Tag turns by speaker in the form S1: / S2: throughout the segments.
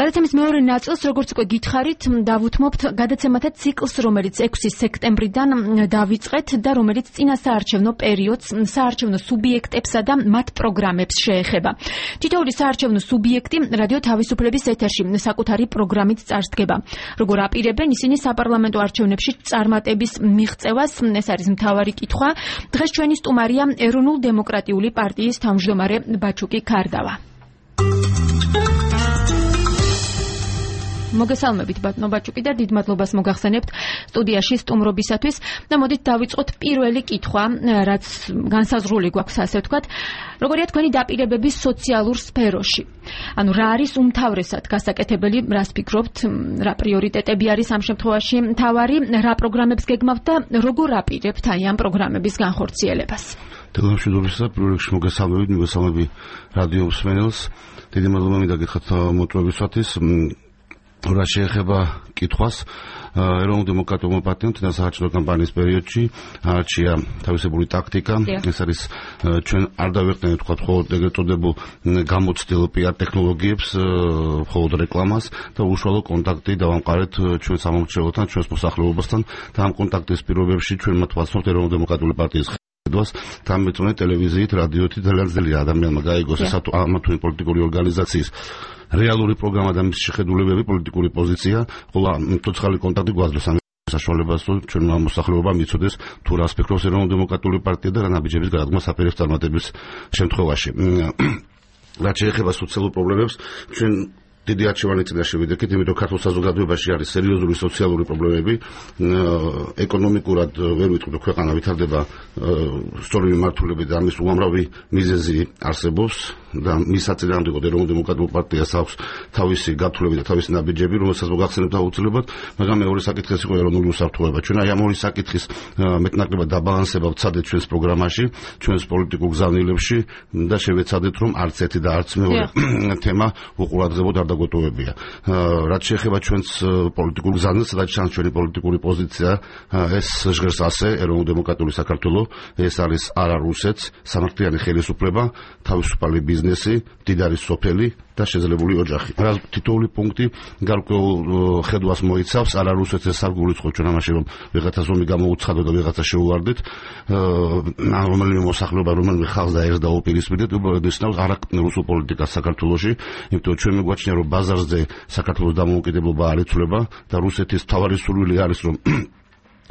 S1: გადაცემის მეორე ნაწილს, როგორც უკვე გითხარით, დავუთმობთ გადაცემათა ციკლს, რომელიც 6 სექტემბრიდან დავიწყეთ და რომელიც წინა საარჩევნო პერიოდს, საარჩევნო სუბიექტებსა და მათ პროგრამებს შეეხება. თითოეული საარჩევნო სუბიექტი რადიო თავისუფლების ეთერში საკუთარი პროგრამით წარსდგება. როგორ აპირებენ ისინი საპარლამენტო არჩევნებში წარმატების მიღწევას, ეს არის მთავარი კითხვა. დღეს ჩვენი სტუმარია ეროვნულ-დემოკრატიული პარტიის თავმჯდომარე ბაჩუკი ქარდავა. მოგესალმებით ბატონო ბაჩუკი და დიდ მადლობას მოგახსენებთ სტუდიაში სტუმრობისათვის და მოდით დავიწყოთ პირველი კითხვა, რაც განსაზღვრული გვაქვს, ასე ვთქვათ. როგორია თქვენი დაპირებები სოციალურ სფეროში? ანუ რა არის უმთავრესად გასაკეთებელი, რას ფიქრობთ, რა პრიორიტეტები არის ამ შემთხვევაში მთავარი, რა პროგრამებს გეგმავთ და როგორ აპირებთ აი ამ პროგრამების განხორციელებას?
S2: თანამშრომლობისა პირველ რიგში მოგესალმები რადიო მსმენელს. დიდი მადლობა მინდა გითხრათ მოწვევისათვის. რა შეეხება კითხვას, ეროვნულ-დემოკრატიულმა პარტიამ წინა საარჩევნო კამპანიის პერიოდში არჩია თავისებური ტაქტიკა. ეს არის ჩვენ არ დავეყნეთ თქვა მხოლოდ ეგრეთ წოდებულ გამოცდილ PR ტექნოლოგიებს, მხოლოდ რეკლამას და უშუალო კონტაქტი დავამყარეთ ჩვენ სამომრჩეველთან, ჩვენს მოსახლეობასთან და ამ კონტაქტის პირობებში ჩვენ მათ ვაცნობთ ეროვნულ-დემოკრატიული პარტიის ხედვას, თამბეწონე ტელევიზიით, რადიოთი ძალიან ძლიერ ადამიანმა გაიგოს ეს ამა თუ იმ პოლიტიკური ორგანიზაციის რეალური პროგრამა და მისი შეხედულებები, პოლიტიკური პოზიცია, ხოლო ცოცხალი კონტაქტი გვაძლევს ამ საშუალებას, რომ ჩვენმა მოსახლეობამ იცოდეს თუ რას ფიქრობს ეროვნულ-დემოკრატიული პარტია და რა ნაბიჯების გადადგმა საპირეს წარმატების შემთხვევაში. რაც შეეხება სოციალურ პრობლემებს, ჩვენ დიდი არჩევანი წინაშე ვიდექით, იმიტომ ქართულ საზოგადოებაში არის სერიოზული სოციალური პრობლემები. ეკონომიკურად ვერ ვიტყვი, ქვეყანა ვითარდება სწორი მიმართულებით და ამის უამრავი მიზეზი არსებობს და მის საწინააღმდეგოდ ეროვნულ-დემოკრატიულ პარტიას აქვს თავისი გათვლები და თავისი ნაბიჯები, რომელსაც მოგახსენებთ აუცილებლად, მაგრამ მეორე საკითხი იყო ეროვნული უსაფრთხოება. ჩვენ აი ამ ორი საკითხის მეტნაკლებად დაბალანსება ვცადეთ ჩვენს პროგრამაში, ჩვენს პოლიტიკურ გზავნილებში და შევეცადეთ, რომ არც ერთი და არც მეორე თემა უყურადღებოდ არ დაგოტოვებია. რაც შეეხება ჩვენს პოლიტიკურ გზავნილს, რაც ჩანს ჩვენი პოლიტიკური პოზიცია, ეს ჟღერს ასე ეროვნულ-დემოკრატიული საქართველო, ეს არის არა რუსეთს, სამართლიანი ხელისუფლება, თავისუფალი ბიზნესი, მდიდარი სოფელი და შეძლებული ოჯახი. რა თითოეული პუნქტი გარკვეულ ხედვას მოიცავს, არა რუსეთს ეს არ გულისხმობს ჩვენ ამაში, რომ ვიღაცა ზომი გამოუცხადოთ და ვიღაცა შეუვარდეთ, რომელიმე მოსახლეობა, რომელიმე ხალხს და ერთს დაუპირისპირდეთ, უბრალოდ არა რუსულ პოლიტიკას საქართველოში, იმიტომ ჩვენ მეგვაჩნია, რომ ბაზარზე საქართველოს დამოუკიდებლობა არ იცვლება და რუსეთის მთავარი სურვილი არის, რომ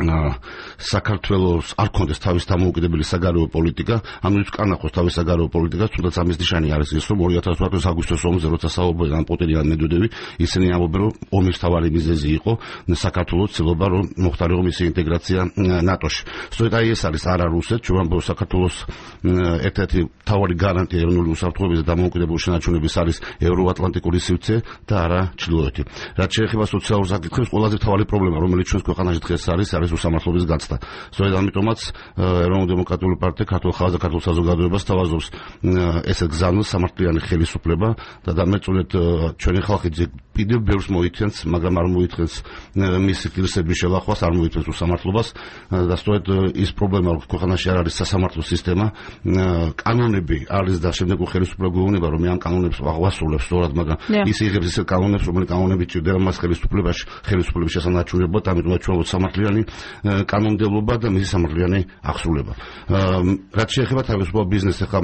S2: საქართველოს არ ქონდეს თავის დამოუკიდებელი საგარეო პოლიტიკა, ანუ კანახოს თავის საგარეო პოლიტიკას, თუნდაც ამის ნიშანი არის ის, რომ 2018 აგვისტოს ომზე, როცა საუბრობდნენ პუტინი ან მედვედევი, ისინი ამბობენ, რომ ომის მთავარი მიზეზი იყო საქართველოს ცდილობა, რომ მოხდარიყო მისი ინტეგრაცია ნატოში. სწორედ აი ეს არის არა რუსეთს, ჩვენ ვამბობთ, საქართველოს ერთ-ერთი მთავარი გარანტია ეროვნული უსაფრთხოების და დამოუკიდებლობის შენარჩუნების არის ევროატლანტიკური სივრცე და არა ჩრდილოეთი. რაც შეეხება სოციალურ საკითხებს, ყველაზე მთავარი პრობლემა, რომელიც ჩვენს ქვეყანაში დღეს არის უსამართლობის გაცდა. სწორედ ამიტომაც ეროვნულ-დემოკრატიული პარტია ქართულ ხალხს და ქართულ საზოგადოებას თავაზობს ესეთ გზავნილს სამართლიანი ხელისუფლება და დამეწონეთ ჩვენი ხალხი კიდევ ბევრს მოითხოვს, მაგრამ არ მოითხოვს მისი ღირსების შელახვას, არ მოითხოვს უსამართლობას და სწორედ ის პრობლემა, რომ ქვეყანაში არ არის სასამართლო სისტემა, კანონები არის და შემდეგ ხელისუფლება გვეუბნება, რომ ამ კანონებს ვასრულებს სწორად, მაგრამ ის იღებს ისეთ კანონებს, რომელი კანონები ჭირდება მას ხელისუფლების შესანარჩუნებლად, ამიტომ ჩვენ სამართლიანი კანონმდებლობა და მისი სამართლიანი აღსრულება. რაც შეეხება თავისუფალ ბიზნესს, ახლა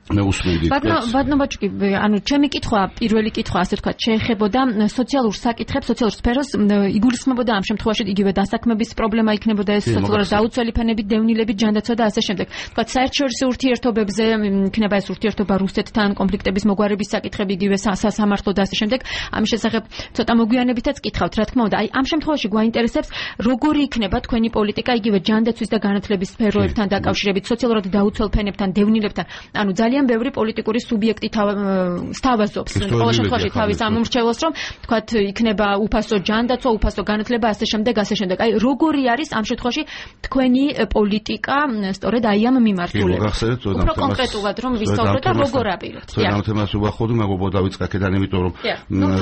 S1: ბატონო ბაჩუკი, ანუ ჩემი კითხვა, პირველი კითხვა, ასე ვთქვათ, შეეხებოდა სოციალურ საკითხებს, სოციალურ სფეროს, იგულისხმებოდა ამ შემთხვევაში იგივე დასაქმების პრობლემა იქნებოდა, ეს სოციალურად დაუცველი ფენებით, დევნილებით, ჯანდაცვა და ასე შემდეგ. ვთქვათ, საერთაშორისო ურთიერთობებზე იქნება ეს ურთიერთობა რუსეთთან, კონფლიქტების მოგვარების საკითხები, იგივე სასამართლო და ასე შემდეგ. ამის შესახებ ცოტა მოგვიანებითაც კითხავთ, რა თქმა უნდა. აი ამ შემთხვევაში გვაინტერესებს, როგორი იქნება თქვენი პოლიტიკა იგივე ჯანდაცვის და განათლების სფეროებთან დაკავშირებით, სოციალურად დაუცველ ფენებთან, დევნილებთან, ანუ ძალიან ბევრი პოლიტიკური სუბიექტი სთავაზობს ყოველ შემთხვევაში თავის ამომრჩეველს, რომ თქვათ იქნება უფასო ჯანდაცვა, უფასო განათლება, ასე შემდეგ. აი როგორი არის ამ შემთხვევაში თქვენი პოლიტიკა სწორედ აი ამ მიმართულებით? უფრო კონკრეტულად რომ ვისაუბროთ და როგორ აპირებთ?
S2: ამ თემას ვახოდო, მეგობრებო, დავიწყე აქედან, იმიტომ რომ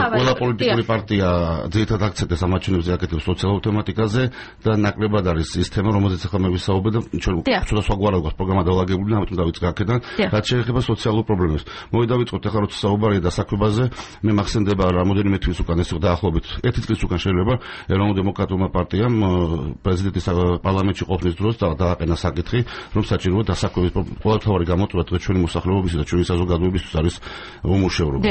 S2: ყველა პოლიტიკური პარტია ძირითადად აქცენტებს ამაჩვენებს აკეთებს სოციალურ თემატიკაზე და ნაკლებად არის ის თემა, რომელზეც ახლა მე ვისაუბრე და ჩვენ ცოტა სხვაგვარად გვაქვს პროგრამა დაალაგებული, ამიტომ დავიწყე აქედან. რაც შეეხება სოციალურ პრობლემებს. მოვიდავიწყოთ ახლა როცა საუბარია დასაქმებაზე, მე მახსენდება რამოდენიმე თვის უკან ეს დაახლოებით 1 წლის უკან შეიძლება ეროვნულ დემოკრატიულმა პარტიამ პრეზიდენტის პარლამენტში ყოფნის დროს დააყენა საკითხი, რომ საჭიროა დასაქმების ყოველთავარი გამოწვევა ჩვენი მოსახლეობისა და ჩვენი საზოგადოებისთვის არის უმუშევრობა.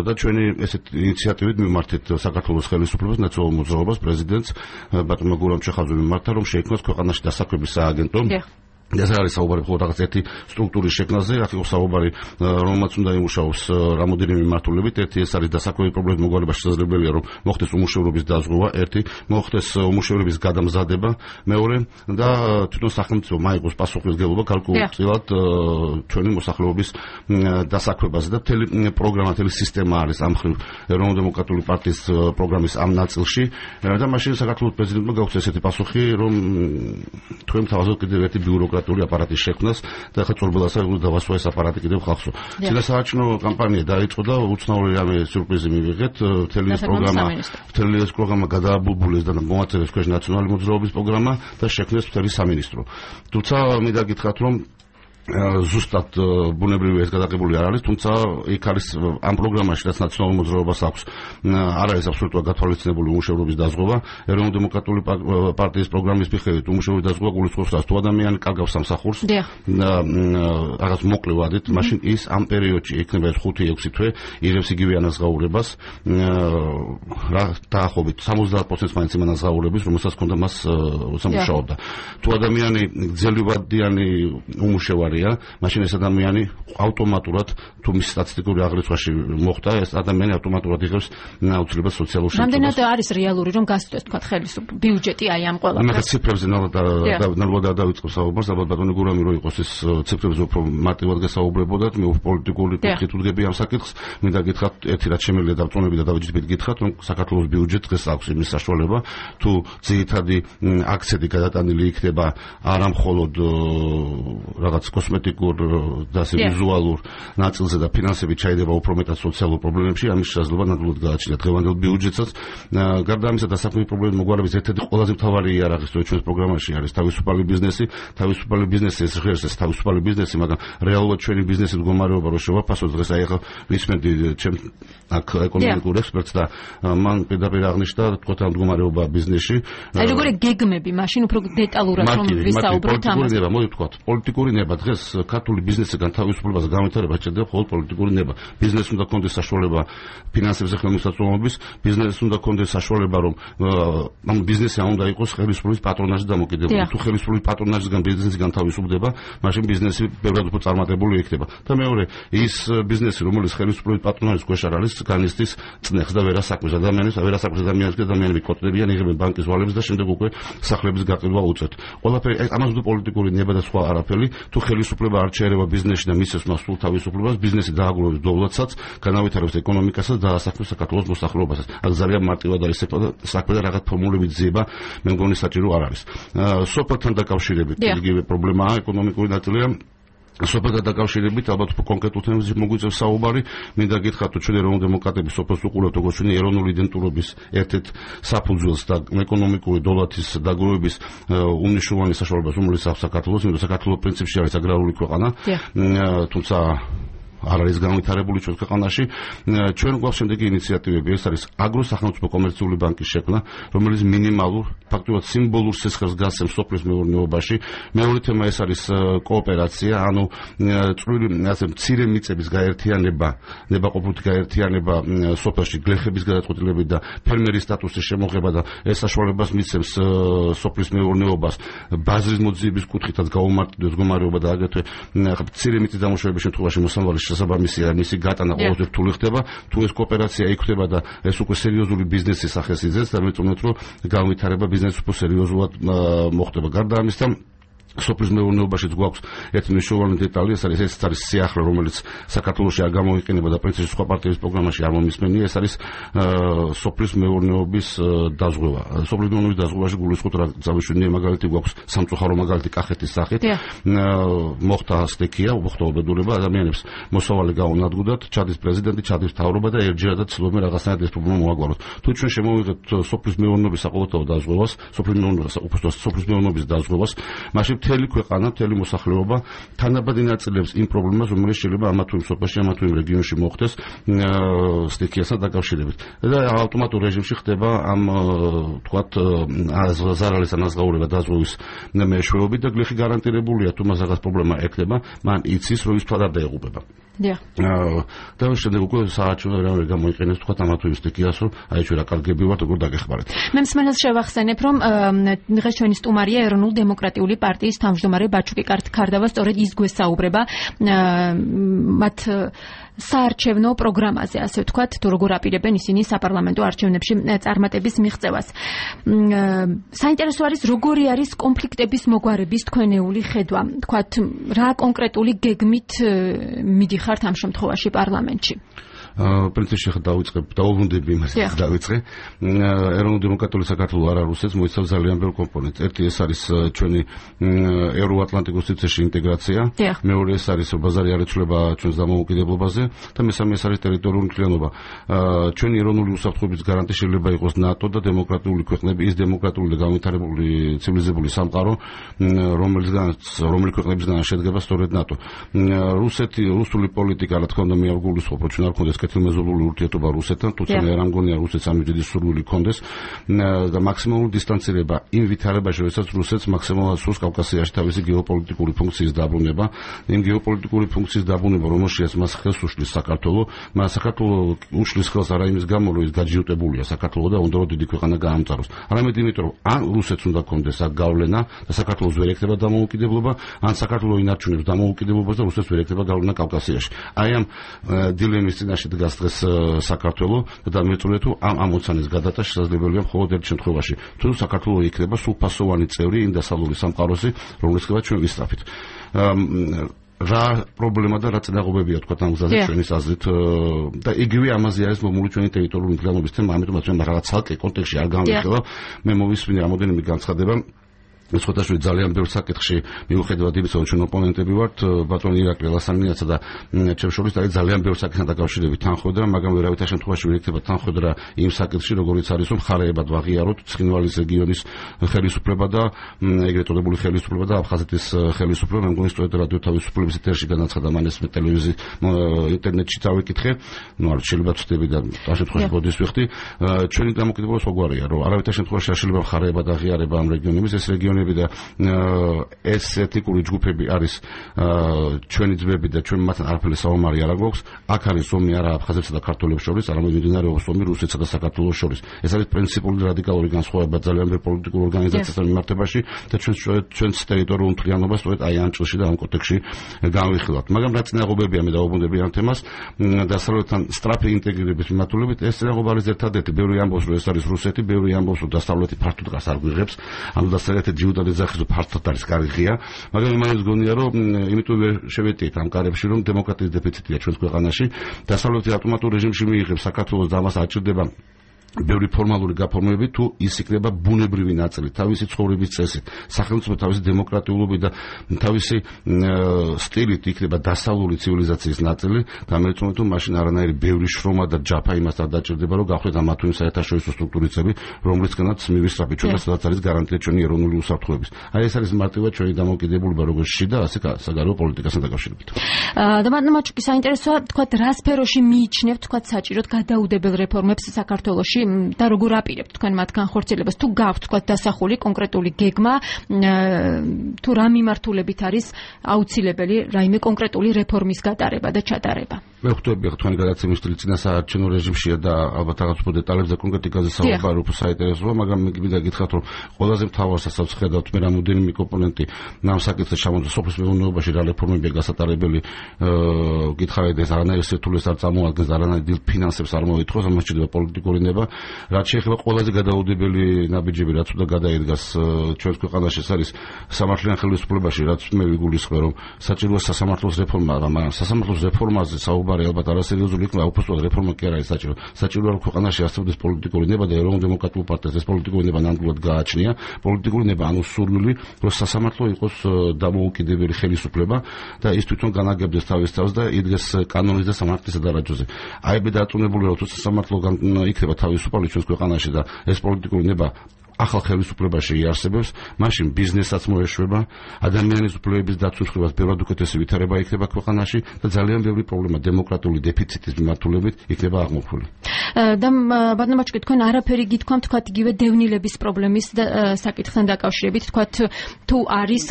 S2: და ჩვენი ესეთ ინიციატივით მიმართეთ საქართველოს ხელისუფლებას, ნაციონალურ მოძრაობას, პრეზიდენტს ბატონმა გურამ ჩეხაძემ მიმართა, რომ შეიქმნას ქვეყანაში დასაქმების სააგენტო. ეს არის საუბარი მხოლოდ რაღაც ერთი სტრუქტურის შექმნაზე, აქ იყო საუბარი, რომელმაც უნდა იმუშაოს რამოდენიმე მიმართულებით. ერთი ეს არის დასაქმების პრობლემის მოგვარება, შესაძლებელია რომ მოხდეს უმუშევრობის დაზღვევა, ერთი მოხდეს უმუშევრობის გადამზადება, მეორე და თვითონ სახელმწიფო მაიყოს პასუხისმგებლობა გარკვეულწილად ჩვენი მოსახლეობის დასაქმებაზე და მთელი პროგრამა, მთელი სისტემა არის ამ მხრივ ეროვნულ დემოკრატიული პარტიის პროგრამის ამ ნაწილში და მაშინ საქართველოს პრეზიდენტმა გაუწია ესეთი პასუხი, რომ თქვენ თავაზობთ კიდევ ერთი ბიუროკრატიული აპარატის შექმნას და ახლა წორბელასა დავასვა ეს აპარატი კიდევ ხალხსო. წინასაარჩევნო კამპანია დაიწყო და უცნაური რამე სიურპრიზი მივიღეთ. მთელი ეს პროგრამა გადააბულბულეს და მოაწევეს ქვეშ ნაციონალური მოძრაობის პროგრამა და შექმნეს მთელი სამინისტრო. თუმცა მე დაგითხრათ რომ ზუსტად ბუნებრივი ეს გადაღებული არ არის, თუმცა იქ არის ამ პროგრამაში რაც ნაციონალურ მოძრაობას აქვს, არ არის აბსოლუტურად გათვალისწინებული უმუშევრობის დაზღვევა. ეროვნულ დემოკრატიული პარტიის პროგრამის მიხედვით უმუშევრობის დაზღვევა გულისხმობს, რომ თუ ადამიანი კარგავს სამსახურს და რაღაც მოკლე ვადით, მაშინ ის ამ პერიოდში იქნება 5-6 თვე იღებს იგივე ანაზღაურებას, დაახლოებით 70% მაინც იმ ანაზღაურების, რომელსაც ჰქონდა მას სამუშაობდა. თუ ადამიანი გრძელვადიანი უმუშევარი მაშინ ეს ადამიანი ავტომატურად თუ მის სტატისტიკური აღრიცხვაში მოხდა, ეს ადამიანი ავტომატურად იღებს აუცილებლად სოციალურ შემწეობას.
S1: რამდენად არის რეალური რომ გასწროს თქვა ხელისუფლების ბიუჯეტი აი ამ ყველაფერს?
S2: მე ციფრებზე ნალბადად დავიწყებ საუბარს, ალბათ ბატონი გურამი რო იყოს ეს ციფრებზე უფრო მარტივად გასაუბრებოდათ, მე პოლიტიკური კუთხით ვდგები ამ საკითხს, მინდა გითხრათ ერთი რაც შემიძლია დავწონები და დავიჯდებით გითხრათ, რომ საქართველოს ბიუჯეტს დღეს აქვს იმის საშუალება, თუ ძირითადი აქცენტი გადატანილი იქნება არა მხოლოდ რაღაც კოსმეტიკურ და ვიზუალურ ნაწილზე და ფინანსები ჩაიდება უფრო მეტად სოციალურ პრობლემებში, ამის შესაძლებლობა ნამდვილად გააჩნია დღევანდელ ბიუჯეტსაც. გარდა ამისა, დასაქმების პრობლემის მოგვარების ერთ-ერთი ყველაზე მთავარი იარაღი ჩვენს პროგრამაში არის თავისუფალი ბიზნესი. თავისუფალი ბიზნესი ეს ღირს ეს თავისუფალი ბიზნესი, მაგრამ რეალურად ჩვენი ბიზნესის მდგომარეობა რო შევაფასოთ, დღეს აი ახლა ვისმენდი ჩემ აქ ეკონომიკურ ექსპერტს და მან პირდაპირ აღნიშნა თქვა ამ მდგომარეობა ბიზნესში.
S1: აი როგორი გეგმები, მაშინ უფრო დეტალურად რომ ვისაუბროთ ამაზე.
S2: მოდი ვთქვათ, პოლიტიკური ნება დღეს ქართული ბიზნესიდან თავისუფლებას განვითარება შეიძლება მხოლოდ პოლიტიკური ნება. ბიზნესს უნდა კონდეს საშუალება ფინანსებზე ხელმისაწვდომობის, ბიზნესს უნდა კონდეს საშუალება რომ ამ ბიზნესი არ უნდა იყოს ხელისუფლების პატრონაჟით დამოკიდებული. თუ ხელისუფლების პატრონაჟისგან ბიზნესი განთავისუფლდება, მაშინ ბიზნესი ბევრად უფრო წარმატებული იქნება. და მეორე, ის ბიზნესი, რომელიც ხელისუფლების პატრონაჟის ქვეშ არ არის, განიცდის წნეხს და ვერასაქმეს ადამიანები კოტლებიან, იღებენ ბანკის ვალებს და შემდეგ უკვე სახლების გაყიდვა უწევთ. ყველაფერი ამას უნდა პოლიტიკური ნება და სხვა არაფერი. თუ ხელისუფლება არ შეერევა ბიზნესში და მისცემს მას სულ თავისუფლებას, ბიზნესი დააგროვებს დოვლათსაც, განავითარებს ეკონომიკასაც და დაასაქმებს საქართველოს მოსახლეობასაც. აქ ძალიან მარტივად არის საქმე და რაღაც ფორმულებით ძიება, მე მგონი საჭირო არ არის. სოფელთან დაკავშირებით იგივე პრობლემაა, ეკონომიკური ნაწილია. სოფელთან დაკავშირებით ალბათ კონკრეტულ თემებზე მოგვიწევს საუბარი. მინდა გითხრათ, რომ ჩვენ ეროვნულ დემოკრატების სოფელს უყურებთ როგორც ჩვენი ეროვნული იდენტურობის ერთ-ერთ საფუძველს და ეკონომიკური დოლათის დაგროვების უმნიშვნელოვანეს საშუალებას, რომელიც აქვს საქართველოს, იმიტომ საქართველოს პრინციპში არის აგრარული ქვეყანა, თუმცა არ არის განვითარებული ჩვენ ქვეყანაში. ჩვენ გვაქვს შემდეგი ინიციატივები, ეს არის აგროსახელმწიფო კომერციული ბანკის შექმნა, რომელიც მინიმალურ, ფაქტობრივად სიმბოლურ სისხლს გასცემს სოფლის მეურნეობაში. მეორე თემა ეს არის კოოპერაცია, ანუ წვრილი ასე მცირე მიწების გაერთიანება, ნებაყოფლობითი გაერთიანება სოფელში, გლეხების გადაწყვეტილებით და ფერმერის სტატუსის შემოღება და ეს საშუალებას მიცემს სოფლის მეურნეობას ბაზრის მოძიების კუთხითაც გაუმარტივდეს მდგომარეობა და აგრეთვე მცირე მიწის დამუშავების შემთხვევაში მოსამართლის შესაბამისია მისი გატანა ყოველთვის რთული ხდება. თუ ეს კოოპერაცია იქნება და ეს უკვე სერიოზული ბიზნესის სახეს იძენს და მე ვწონოთ რომ განვითარება ბიზნესი უფრო სერიოზულად მოხდება. გარდა ამისა სოფლის მეურნეობაშიც გვაქვს ერთი მნიშვნელოვანი დეტალი, ეს არის სიახლე, რომელიც საქართველოში არ გამოიყენება და პრინციპში სხვა პარტიების პროგრამაში არ მომისმენია, ეს არის სოფლის მეურნეობის დაზღვევა. სოფლის მეურნეობის დაზღვევაში გულისხმობთ რა წავიშვენია მაგალითი გვაქვს სამწუხარო მაგალითი კახეთის სახით. მოხდა სტექია, მოხდა უბედურება, ადამიანებს მოსავალი გაუნადგუდათ, ჩადის პრეზიდენტი, ჩადის მთავრობა და ერთჯერადად ცდილობენ რაღაცნაირად ეს პრობლემა მოაგვაროთ. თუ ჩვენ შემოვიღებთ სოფლის მეურნეობის საყოველთაო დაზღვევას, სოფლის მეურნეობის დაზღვევას, მაშინ მთელი ქვეყანა, მთელი მოსახლეობა თანაბადი ნაწილებს იმ პრობლემას, რომელიც შეიძლება ამა თუ იმ სოფელში, ამა თუ იმ რეგიონში მოხდეს სტიქიასთან დაკავშირებით. და ავტომატურ რეჟიმში ხდება ამ თქვათ ზარალის ანაზღაურება დაზღვევის მეშვეობით და გლეხი გარანტირებულია თუ მას რაღაც პრობლემა ექნება, მან იცის რომ ის თქვათ არ დაეღუპება. და შემდეგ უკვე საარჩევნო რამე გამოიყენებს თქვათ ამა თუ იმ სტიქიას რომ აი ჩვენ რა კარგები ვართ როგორ დაგეხმარეთ.
S1: მე მსმენელს შევახსენებ რომ დღეს ჩვენი სტუმარია ეროვნულ დემოკრატიული პარტიის თავმჯდომარე ბაჩუკი ქარდავა სწორედ ის გვესაუბრება მათ საარჩევნო პროგრამაზე, ასე ვთქვათ, თუ როგორ აპირებენ ისინი საპარლამენტო არჩევნებში წარმატების მიღწევას. საინტერესო არის, როგორი არის კონფლიქტების მოგვარების თქვენეული ხედვა. თქვათ, რა კონკრეტული გეგმით მიდიხართ ამ შემთხვევაში პარლამენტში?
S2: პრინციპში დაუბრუნდები იმას დავიწყე. ეროვნულ დემოკრატიული საქართველოს არა რუსეთს მოიცავს ძალიან ბევრ კომპონენტს. ერთი ეს არის ჩვენი ევროატლანტიკურ სივრცეში ინტეგრაცია, მეორე ეს არის ბაზარი არ იცვლება ჩვენს დამოუკიდებლობაზე და მესამე ეს არის ტერიტორიული მთლიანობა. ჩვენი ეროვნული უსაფრთხოების გარანტი შეიძლება იყოს ნატო და დემოკრატიული ქვეყნები, ის დემოკრატიული და განვითარებული ცივილიზებული სამყარო, რომელი ქვეყნებისგან შედგება სწორედ ნატო. რუსული პოლიტიკა, რა თქმა უნდა, მე არ გულისხმობ, რომ ჩვენ არ გქონდეს კეთილმეზობლური ურთიერთობა რუსეთთან, თუმცა მე არ მგონია რუსეთს ამის დიდი სურვილი ჰქონდეს და მაქსიმალური დისტანცირება იმ ვითარებაში, როდესაც რუსეთს მაქსიმალურად სურს კავკასიაში თავისი გეოპოლიტიკური ფუნქციის დაბრუნება, იმ გეოპოლიტიკური ფუნქციის დაბრუნება, რომელშიც მას ხელს უშლის საქართველო, მას საქართველო უშლის ხელს არა იმის გამო, რომ ის გაჯიუტებულია საქართველო და უნდა რომ დიდი ქვეყანა გაამწაროს. არამედ იმიტომ, რომ ან რუსეთს უნდა ჰქონდეს აქ გავლენა და საქართველოს ვერ ექნება დამოუკიდებლობა, ან საქართველო ინარჩუნებს დამოუკიდებლობას და რუსეთს ვერ ექნება გავლენა კავკასიაში. აი ამ დილემის წინაშე დგას დღეს საქართველო და დამეწურეთ თუ ამ ამოცანის გადატანა შესაძლებელია მხოლოდ ერთ შემთხვევაში, თუ საქართველო იქნება სრულფასოვანი წევრი იმ დასავლური სამყაროსი, რომლისგან ჩვენ ვისწრაფით. რა პრობლემა და რა წინააღმდეგობებია თქვა ამ გზაზე ჩვენის აზრით და იგივე ამაზე არის მომული ჩვენი ტერიტორიული მთლიანობის თემა, ამიტომაც მე რაღაც ცალკე კონტექსტში არ გამოვიხილავ, მე მოვისმინე რამოდენიმე განცხადება სხვადასხვა ძალიან ბევრ საკითხში მიუხედავად იმისა, რომ ჩვენ ოპონენტები ვართ, ბატონი ირაკლი ლასანიაცა და ჩემს შორის არის ძალიან ბევრ საკითხთან დაკავშირებით თანხმობა, მაგრამ ვერავითარ შემთხვევაში ვერ იქნება თანხმობა იმ საკითხში, როგორიც არის, რომ ხარეებად ვაღიაროთ ცხინვალის რეგიონის ხელისუფლება და ეგრეთ წოდებული ხელისუფლება და აფხაზეთის ხელისუფლება. მე მგონი სწორედ რადიო თავისუფლების ეთერში განაცხადა მან ეს ტელევიზიის ინტერნეტში წავიკითხე, არ შეიძლება ვწდები და ამ შემთხვევაში ბოდის ვიხდი. ჩვენი დამოკიდებულება სხვაგვარია, რომ არავითარ შემთხვევაში არ შეიძლება ხარეებად აღიარება ამ რეგიონების, ეს რეგიონი და ეს ეთნიკური ჯგუფები არის ჩვენი ძმები და ჩვენ მათთან არაფერი საომარი არ გვაქვს. აქ არის ომი არა აფხაზებსა და ქართველებს შორის, არამედ მიმდინარეობს ომი რუსეთსა და საქართველოს შორის. ეს არის პრინციპული რადიკალური განსხვავება ძალიან ბევრ პოლიტიკურ ორგანიზაციასთან მიმართებაში და ჩვენს ტერიტორიულ მთლიანობას სწორედ აი ამ ჭრილში და ამ კონტექსტში განვიხილავთ. მაგრამ რა წინააღმდეგობია მე დავუბრუნდები ამ თემას დასავლეთთან სწრაფი ინტეგრირების მიმართულებით. ეს წინააღმდეგობა არის ერთადერთი. ბევრი ამბობს, რომ ეს არის რუსეთი, ბევრი ამბობს, რომ დასავლეთი ფართოდ დგას არ გვიღებს. ანუ დასავლეთი და ძახის ფართოდ არის კარგია, მაგრამ იმასაც გონია რომ იმიტომ ვერ შევეტიეთ ამ კარებში რომ დემოკრატიის დეფიციტია ჩვენს ქვეყანაში. დასავლეთი ავტომატურ რეჟიმში მიიღებს საქართველოს და ამას აჭირდება ბევრი ფორმალური გაფორმებები თუ ის იქნება ბუნებრივი ნაწილი, თავისი ცხოვრების წესით, სახელმწიფო თავისი დემოკრატიულობით და თავისი სტილით იქნება დასავლური ცივილიზაციის ნაწილი და მე ვთქვი თუ მაშინ არანაირი ბევრი შრომა და ჯაფა იმას არ დაჭირდება რომ გავხდეთ ამა თუ იმ საერთაშორისო სტრუქტურისები, რომლისგანაც მივისწრაფით ჩვენ და სადაც არის გარანტია ჩვენი ეროვნული უსაფრთხოების. აი ეს არის მარტივად ჩვენი დამოუკიდებლობა როგორც შიდა, ასე საგარეო პოლიტიკასთან დაკავშირებით.
S1: და მაჩუკი საინტერესოა თქვა რა სფეროში მიიჩნევთ თქვა საჭიროდ გადაუდებელ რეფორმებს საქართველოში და როგორ აპირებთ თქვენ მათ განხორციელებას, თუ გაქვთ თქვა დასახული კონკრეტული გეგმა, თუ რა მიმართულებით არის აუცილებელი რაიმე კონკრეტული რეფორმის გატარება და ჩატარება.
S2: მე ხვდები თქვენი გადაცემის სტილი წინასაარჩევნო რეჟიმშია და ალბათ რაღაც უფრო დეტალებზე კონკრეტიკაზე საუბარი უფრო საინტერესოა, მაგრამ მე მინდა გითხრათ, რომ ყველაზე მთავარ სასწაულს ხედავთ მე რამოდენიმე კომპონენტი ამ საკითხზე ჩამოწვა სოფლის მეურნეობაში რა რეფორმებია გასატარებელი, გითხარით ეს არანაირ სირთულეს არ წარმოადგენს, არანაირ დილ ფინანსებს არ მოითხოვს, ამას შეიძლება პოლიტიკური ნება. რაც შეეხება ყველაზე გადაუდებელი ნაბიჯები, რაც უნდა გადაიდგას ჩვენს ქვეყანაში, ეს არის სამართლიან ხელისუფლებაში, რაც მე ვიგულისხმე, რომ საჭიროა სასამართლოს რეფორმა, მაგრამ სასამართლოს რეფორმაზე საუბარი ალბათ არასერიოზული იქნება, უბრალოდ რეფორმა კი არ არის საჭირო. საჭიროა რომ ქვეყანაში არსებდეს პოლიტიკური ნება და ეროვნულ დემოკრატიულ პარტიას ეს პოლიტიკური ნება ნამდვილად გააჩნია. პოლიტიკური ნება ანუ სურვილი, რომ სასამართლო იყოს დამოუკიდებელი ხელისუფლება და ის თვითონ განაგებდეს თავის თავს და იდგეს კანონის და სამართლის სადარაჯოზე. აი მე დარწმუნებულია, რომ თუ სასამართლო იქნება თავისუფალი ჩვენს ქვეყანაში და ეს პოლიტიკური ნება ახალ ხელისუფლებაში იარსებებს, მაშინ ბიზნესაც მოეშვება, ადამიანის უფლებების დაცვის ხრივას ბევრად უკეთესი ვითარება იქნება ქვეყანაში და ძალიან ბევრი პრობლემა დემოკრატიული დეფიციტის მიმართულებით იქნება აღმოფხვრილი.
S1: და ბატონო მაჩუკი, თქვენ არაფერი გითქვამთ, თქვათ იგივე დევნილების პრობლემის საკითხთან დაკავშირებით, თქვათ თუ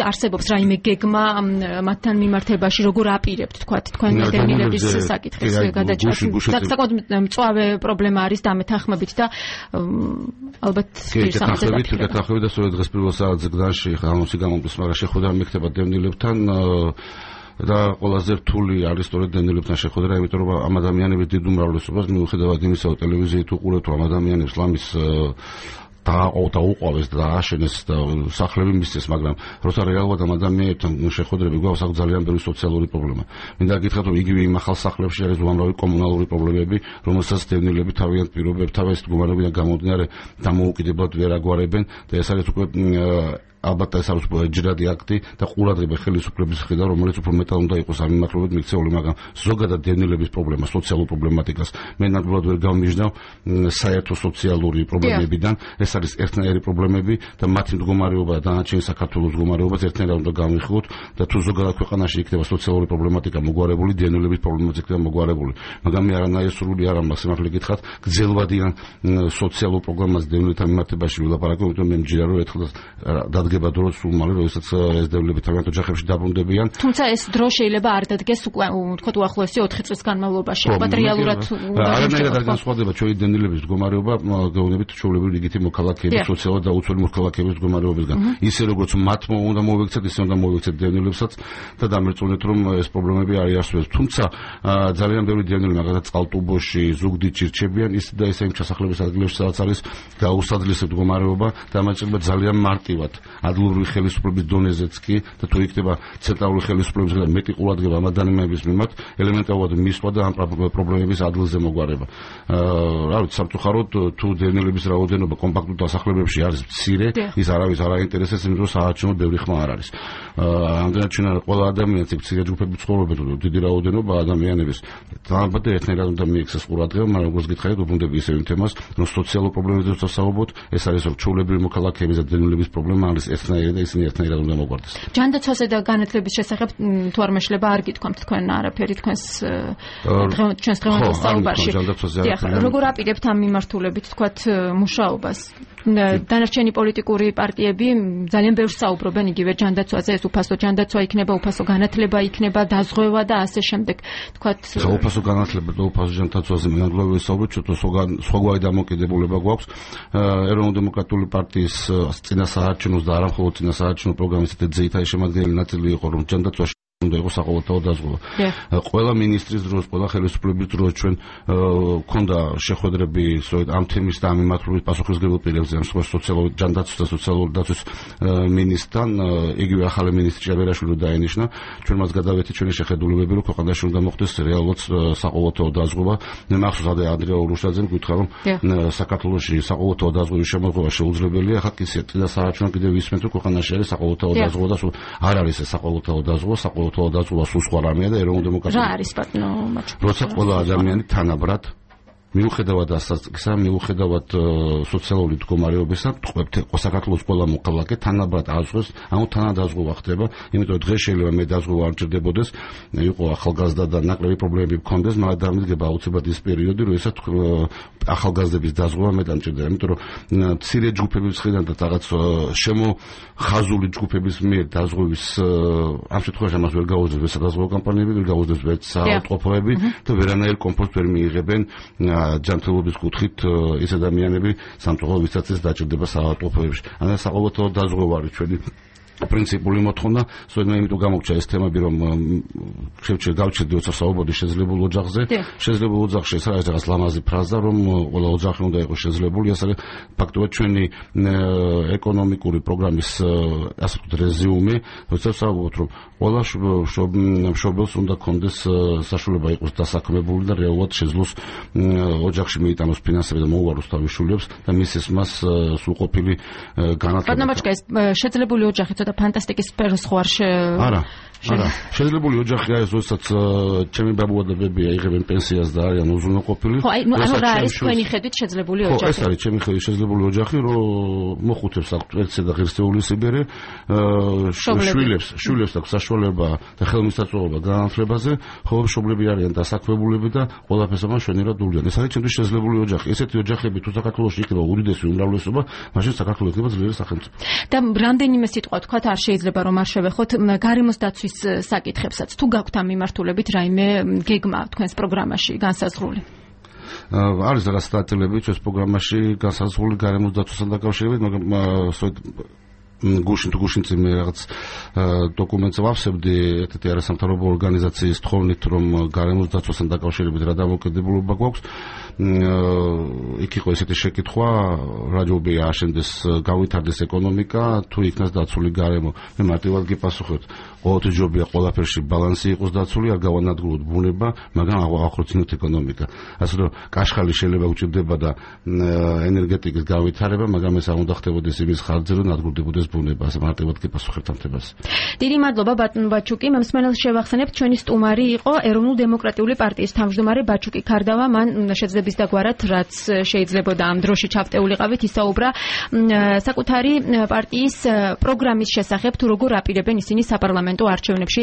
S1: არსებობს რაიმე გეგმა მათთან მიმართებაში, როგორ აპირებთ თქვათ თქვენ დევნილების საკითხის გადაჭრას. საკმაოდ მწვავე პრობლემა არის დამეთანხმებით და ალბათ
S2: გეთანხმებით და სწორედ დღეს პირველ საათზე გდანში ხანოსი გამომდის, მაგრამ შეხვედრა მეკდება დევნილებთან და ყველაზე რთული არის სწორედ დევნილებთან შეხვედრა, იმიტომ რომ ამ ადამიანების დიდ უმრავლესობას მიუხედავად იმისა, რომ ტელევიზიით უყურებთ, რომ ადამიანებს ლამის დაუყვავეს და აშენეს და სახლები მისცეს, მაგრამ როცა რეალურად ამ ადამიანებთან შეხვედრები გვაქვს, აქ ძალიან ბევრი სოციალური პრობლემა. მინდა გითხრათ, რომ იგივე იმ ახალ სახლებში არის უამრავი კომუნალური პრობლემები, რომელსაც დევნილები თავიანთ პირობებთან, თავის მდგომარეობიდან გამომდინარე დამოუკიდებლად ვერ აგვარებენ და ეს არის უკვე ალბათ ეს არის ჯერადი აქტი და ყურადღება ხელისუფლების მხრიდან, რომელიც უფრო მეტად უნდა იყოს ამ მიმართულებით მიქცეული, მაგრამ ზოგადად დევნილების პრობლემა, სოციალურ პრობლემატიკას მე ნამდვილად ვერ გავმიჯნავ საერთო სოციალური პრობლემებიდან. ეს არის ერთნაირი პრობლემები და მათი მდგომარეობა და დანარჩენი საქართველოს მდგომარეობაც ერთნაირად უნდა გავიხოთ და თუ ზოგადად ქვეყანაში იქნება სოციალური პრობლემატიკა მოგვარებული, დევნილების პრობლემაც იქნება მოგვარებული. მაგრამ მე არანაირი სრული არ მაქვს სიმართლე გითხრათ, გრძელვადიან სოციალურ პრობლემას დევნილთა მიმართებაში ვილაპარაკო, იმიტომ მე მჯერა რომ ერთხელ დადგება დრო სულ მალე, როდესაც ეს დევნილები თავიანთ ოჯახებში დაბრუნდებიან.
S1: თუმცა ეს დრო შეიძლება არ დადგეს უკვე ვთქვათ უახლოესი 4 წლის განმავლობაში. მატერიალურად
S2: არანაირად არ განსხვავდება ჩვენი დევნილების მდგომარეობა გეუბნებით ჩვეულებრივი რიგითი მოქალაქეების, სოციალურად დაუცველი მოქალაქეების მდგომარეობისგან. ისე როგორც მათ უნდა მოვიქცეთ, ისე უნდა მოვიქცეთ დევნილებსაც და დამერწმუნეთ, რომ ეს პრობლემები არ იარსებებს. თუმცა ძალიან ბევრი დევნილი, მაგალითად წყალტუბოში, ზუგდიდში რჩებიან ის და ისე იმ ჩასახლებების ადგილებში, სადაც არის გაუსაძლისი მდგომარეობა და ამაჭრება ძალიან მარტივად ადგილობრივი ხელისუფლების დონეზეც კი და თუ იქნება ცენტრალური ხელისუფლებისგან მეტი ყურადღება ამ ადამიანების მიმართ, ელემენტარულად მისვლა და ამ პრობლემების ადგილზე მოგვარება. რა ვიცი, სამწუხაროდ თუ დევნილების რაოდენობა კომპაქტურ დასახლებებში არის მცირე, ის არავის არ აინტერესებს, იმიტომ რომ საარჩევნო ბევრი ხმა არ არის. ანგარჩენა ყველა ადამიანს იქ მცირე ჯგუფები ცხოვრობენ, დიდი რაოდენობა ადამიანების დაალბათ ერთნაირად უნდა მიიქცეს ყურადღება, მაგრამ როგორც გითხარით, უბრუნდები ისევ იმ თემას, რომ სოციალურ პრობლემებზე ვსაუბრობთ, ეს არის რომ ჩვეულებრივი მოქალაქეების და დევნილების პრობლემა არის ერთნაირი და ისინი ერთნაირად უნდა მოგვარდეს.
S1: ჯანდაცვაზე და განათლების შესახებ თუ არ მეშლება არ გითქვამთ თქვენ არაფერი ჩვენს დღევანდელ საუბარში. როგორ აპირებთ ამ მიმართულებით თქვათ მუშაობას? დანარჩენი პოლიტიკური პარტიები ძალიან ბევრს საუბრობენ იგივე ჯანდაცვაზე, ეს უფასო ჯანდაცვა იქნება, უფასო განათლება იქნება, დაზღვევა და ასე შემდეგ. თქვათ
S2: უფასო განათლება და უფასო ჯანდაცვაზე მე ნამდვილად ვისაუბრებ, ჩვენ სხვაგვარი დამოკიდებულება გვაქვს. ეროვნულ დემოკრატიული პარტიის წინასაარჩევნო და არა მხოლოდ წინასაარჩევნო პროგრამის ძირითადი შემადგენელი ნაწილი იყო, რომ ჯანდაცვაში უნდა იყოს საყოველთაო დაზღვევა. ყველა მინისტრის დროს, ყველა ხელისუფლების დროს ჩვენ ქონდა შეხვედრები სწორედ ამ თემის და ამ მიმართულებით პასუხისმგებელ პირებზე, ამ სოციალური ჯანდაცვის და სოციალური დაცვის მინისტრთან, იგივე ახალი მინისტრი ჭავერაშვილი დაენიშნა. ჩვენ მას გადავეთით ჩვენი შეხედულებები, რომ ქვეყანაში უნდა მოხდეს რეალურად საყოველთაო დაზღვევა. მე მახსოვს ანდრია ურუშაძემ გითხრა, რომ საქართველოში საყოველთაო დაზღვევის შემოღება შეუძლებელია. ახლა კი წინასაარჩევნო კიდევ ისმენთ, რომ ქვეყანაში არის საყოველთაო დაზღვევა და არ არის ეს საყოველთაო დაზღვევა, დაზღვევა სულ სხვა რამეა და ეროვნულ დემოკრატიულ
S1: რა არის ბატონო მაჩუკი?
S2: როცა ყველა ადამიანი თანაბრად მიუხედავად ასაკისა, მიუხედავად სოციალური მდგომარეობისა, თქვებთ, საქართველოს ყველა მოქალაქე თანაბრად აზღვევს, ანუ თანადაზღვევა ხდება, იმიტომ რომ დღეს შეიძლება მე დაზღვევა არ ჭირდებოდეს, იყო ახალგაზრდა და ნაკლები პრობლემები გქონდეს, მაგრამ დამიდგება აუცილებლად ის პერიოდი, როდესაც ახალგაზრდების დაზღვევა მეტად მჭირდება, იმიტომ რომ მცირე ჯგუფების მხრიდან და რაღაც შემოხაზული ჯგუფების მიერ დაზღვევის ამ შემთხვევაში ამას ვერ გაუძლებს სადაზღვევო კამპანიები, ვერ გაუძლებს ვერც საავადმყოფოები და ვერანაირ კომფორტს ვერ მიიღებენ ჯანმრთელობის კუთხით ეს ადამიანები სამწუხაროდ ვისაც ეს დაჭირდება საავადმყოფოებში. ანუ საყოველთაო დაზღვევა არის ჩვენი პრინციპული მოთხოვნა, სწორედ მე იმიტომ გამოგჩა ეს თემები, რომ შევჩერ გავჩერდი როცა საუბარი შეძლებულ ოჯახზე. შეძლებულ ოჯახში ეს არის რაღაც ლამაზი ფრაზა, რომ ყველა ოჯახი უნდა იყოს შეძლებული, ეს არის ფაქტობრივად ჩვენი ეკონომიკური პროგრამის ასე ვთქვათ რეზიუმე, როცა საუბრობთ, რომ ყველა მშობელს უნდა კონდეს საშუალება იყოს დასაქმებული და რეალურად შეძლოს ოჯახში მიიტანოს ფინანსები და მოუაროს თავის შვილებს და მისცეს მას სრულყოფილი განათლება.
S1: ბატონო მაჩუკა, ეს შეძლებული ოჯახი და ფანტასტიკის სფეროს ხო არ
S2: შეიძლება ოჯახია ეს, როდესაც ჩემი ბაბუა და ბებია იღებენ პენსიას და არიან უზრუნველყოფილი.
S1: ხო, აი, ანუ რა არის თქვენი ხედვით შეძლებული ოჯახი?
S2: ხო, ეს არის ჩემი ხედვით შეძლებული ოჯახი, რომ მოხუცებს აქვთ ერთსა და ღირსეული სიბერე, შვილებს აქვს საშუალება და ხელმისაწვდომობა განათლებაზე, ხო, მშობლები არიან დასაქმებულები და ყველაფერს ამან შვენივრად დულიან. ეს არის ჩემთვის შეძლებული ოჯახი. ესეთი ოჯახები თუ საქართველოში იქნება უდიდესი უმრავლესობა, მაშინ საქართველოს იქნება ძლიერი სახელმწიფო.
S1: და რამდენიმე სიტყვა თქვათ არ შეიძლება რომ არ შევეხოთ გარემოს დაცვის საკითხებსაც. თუ გაქვთ ამ მიმართულებით რაიმე გეგმა თქვენს პროგრამაში განსაზღვრული?
S2: არის რაღაც სტატიები ჩვენს პროგრამაში განსაზღვრული გარემოს დაცვასთან დაკავშირებით, მაგრამ გუშინ წინ რაღაც დოკუმენტს ვავსებდი ერთ-ერთი არასამთავრობო ორგანიზაციის თხოვნით, რომ გარემოს დაცვასთან დაკავშირებით რა დამოუკიდებლობა გვაქვს. იქ იყო ესეთი შეკითხვა, რა ჯობია აშენდეს, გავითარდეს ეკონომიკა, თუ იქნას დაცული გარემო. მე მარტივად გიპასუხებთ, ყოველთვის ჯობია ყველაფერში ბალანსი იყოს დაცული, არ გავანადგუროთ ბუნება, მაგრამ აღოხროცინოთ ეკონომიკა. ასე რომ კაშხალი შეიძლება უჭირდება და ენერგეტიკის გავითარება, მაგრამ ეს არ უნდა ხდებოდეს იმის ხარჯზე, რომ ნადგურდებოდეს ბუნება. ასე მარტივად გიპასუხებთ ამ თემას.
S1: დიდი მადლობა ბატონ ბაჩუკი. მსმენელს შევახსენებთ, ჩვენი სტუმარი იყო ეროვნულ-დემოკრატიული პარტიის თავმჯდომარე ბაჩუკი ქარდავა. მან შეძლების დაგვარად, რაც შეიძლებოდა ამ დროში ჩავტეულიყავით, ისაუბრა საკუთარი პარტიის პროგრამის შესახებ, თუ როგორ აპირებენ ისინი საპარლამენტო არჩევნებში